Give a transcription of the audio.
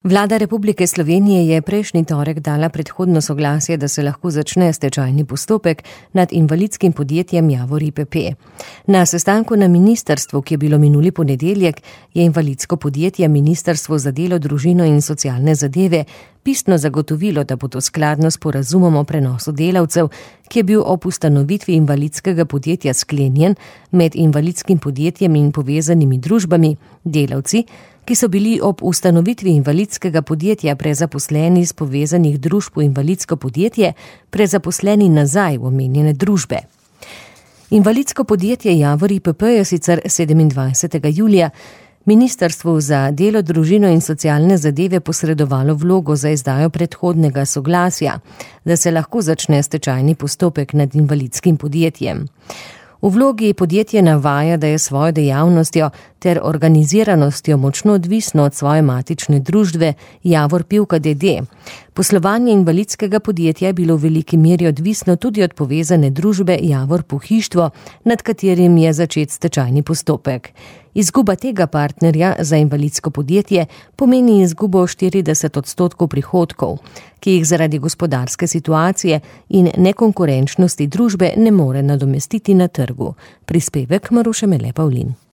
Vlada Republike Slovenije je prejšnji torek dala predhodno soglasje, da se lahko začne stečajni postopek nad invalidskim podjetjem Javor IPP. Na sestanku na ministrstvu, ki je bilo minuli ponedeljek, je invalidsko podjetje Ministrstvo za delo, družino in socialne zadeve pisno zagotovilo, da bo to skladno s sporazumom o prenosu delavcev, ki je bil ob ustanovitvi invalidskega podjetja sklenjen med invalidskim podjetjem in povezanimi družbami, delavci, ki so bili ob ustanovitvi invalidskega podjetja prezaposleni iz povezanih družb v invalidsko podjetje, prezaposleni nazaj v omenjene družbe. Invalidsko podjetje Javor IPP je sicer 27. julija Ministrstvu za delo, družino in socialne zadeve posredovalo vlogo za izdajo predhodnega soglasja, da se lahko začne stečajni postopek nad invalidskim podjetjem. V vlogi podjetje navaja, da je svojo dejavnostjo ter organiziranostjo močno odvisno od svoje matične družbe Javor Pivka d.d. Poslovanje invalidskega podjetja je bilo v veliki meri odvisno tudi od povezane družbe Javor Pohištvo, nad katerim je začet stečajni postopek. Izguba tega partnerja za invalidsko podjetje pomeni izgubo 40% prihodkov, ki jih zaradi gospodarske situacije in nekonkurenčnosti družbe ne more nadomestiti na trgu. Prispevek Maruše Mele Pavlin.